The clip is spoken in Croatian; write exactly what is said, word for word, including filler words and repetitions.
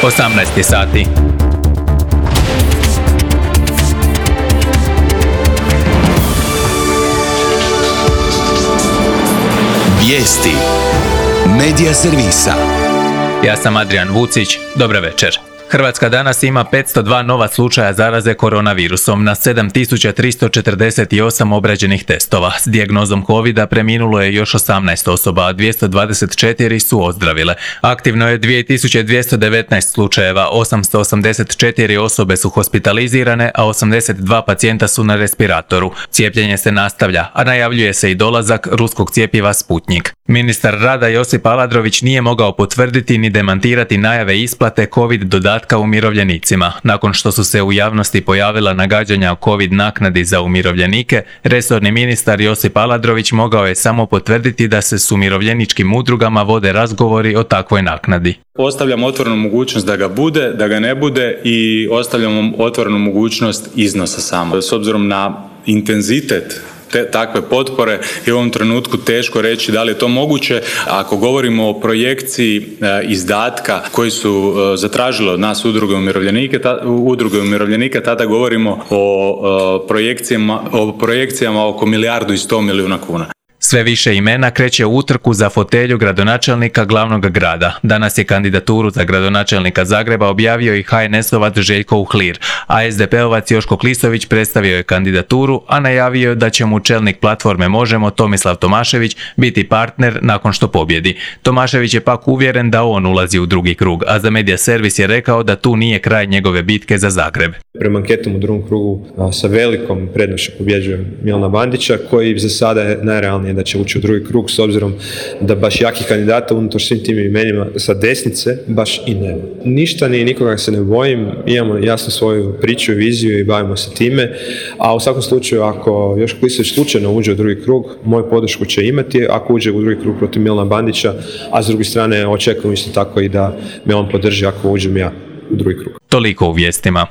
osamnaest je sati. Vijesti Medija servisa. Ja sam Adrian Vucić, dobro večer. Hrvatska danas ima petsto dva nova slučaja zaraze koronavirusom na sedam tisuća tristo četrdeset osam obrađenih testova. S dijagnozom covida preminulo je još osamnaest osoba, a dvjesto dvadeset četiri su ozdravile. Aktivno je dvije tisuće dvjesto devetnaest slučajeva, osamsto osamdeset četiri osobe su hospitalizirane, a osamdeset dva pacijenta su na respiratoru. Cijepljenje se nastavlja, a najavljuje se i dolazak ruskog cjepiva Sputnjik. Ministar rada Josip Aladrović nije mogao potvrditi ni demantirati najave isplate covid dodatka umirovljenicima. Nakon što su se u javnosti pojavila nagađanja o covid naknadi za umirovljenike, resorni ministar Josip Aladrović mogao je samo potvrditi da se s umirovljeničkim udrugama vode razgovori o takvoj naknadi. Ostavljam otvorenu mogućnost da ga bude, da ga ne bude i ostavljam otvorenu mogućnost iznosa samo. S obzirom na intenzitet Te, takve potpore je u ovom trenutku teško reći da li je to moguće. Ako govorimo o projekciji e, izdatka koji su e, zatražile od nas udruge umirovljenike, ta, udruge umirovljenika, tada govorimo o, e, projekcijama, o projekcijama oko milijardu i sto milijuna kuna. Sve više imena kreće u utrku za fotelju gradonačelnika glavnog grada. Danas je kandidaturu za gradonačelnika Zagreba objavio i ha en esovac Željko Uhlir, a es de pe ovac Joško Klisović predstavio je kandidaturu, a najavio je da će mu čelnik platforme Možemo Tomislav Tomašević biti partner nakon što pobjedi. Tomašević je pak uvjeren da on ulazi u drugi krug, a za Medija servis je rekao da tu nije kraj njegove bitke za Zagreb. Prema anketom u drugom krugu sa velikom prednošću pobjeđuje Milana Bandića, koji za sada je najrealnije da će ući u drugi krug, s obzirom da baš jakih kandidata unutar svim tim imenima sa desnice baš i nema. Ništa ni nikoga se ne bojim, imamo jasno svoju priču i viziju i bavimo se time, a u svakom slučaju ako Joško Klisović slučajno uđe u drugi krug, moju podršku će imati ako uđe u drugi krug protiv Milana Bandića, a s druge strane očekujem isto tako i da me on podrži ako uđem ja u drugi krug. Toliko u vijestima.